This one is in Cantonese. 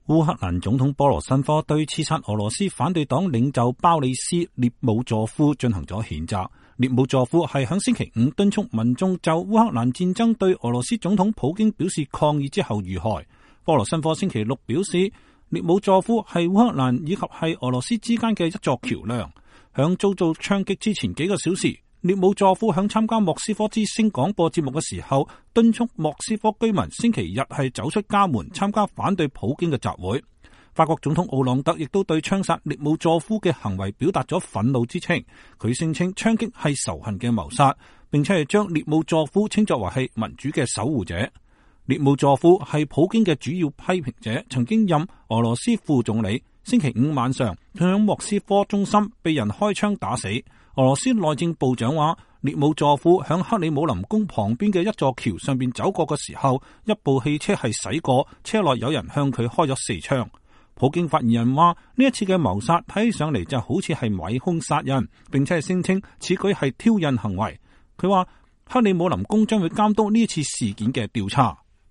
烏克蘭總統波羅申科對刺殺俄羅斯反對黨領袖鮑里斯列姆佐夫進行咗譴責。列姆佐夫係響星期五敦促民眾就烏克蘭戰爭對俄羅斯總統普京表示抗議之後遇害。波羅申科星期六表示，列姆佐夫係烏克蘭以及係俄羅斯之間嘅一座橋樑。響遭到槍擊之前幾個小時，列姆佐夫響參加莫斯科之聲廣播節目嘅時候，敦促莫斯科居民星期日係走出家門參加反對普京嘅集會。法國總統奧朗德亦都對槍殺列姆佐夫嘅行為表達咗憤怒之情，佢聲稱槍擊係仇恨嘅謀殺，並且係將列姆佐夫稱作為係民主嘅守護者。列姆佐夫係普京嘅主要批評者，曾經任俄羅斯副總理。星期五晚上，佢喺莫斯科中心被人開槍打死。俄羅斯內政部長話，列姆佐夫響克里姆林宮旁邊嘅一座橋上邊走過嘅時候，一部汽車係駛過，車內有人向佢開咗4槍。普京發言人話，呢一次嘅謀殺睇起上嚟就好似係買兇殺人，並且係聲稱此舉係挑釁行為。佢話克里姆林宮將會監督呢次事件嘅調查。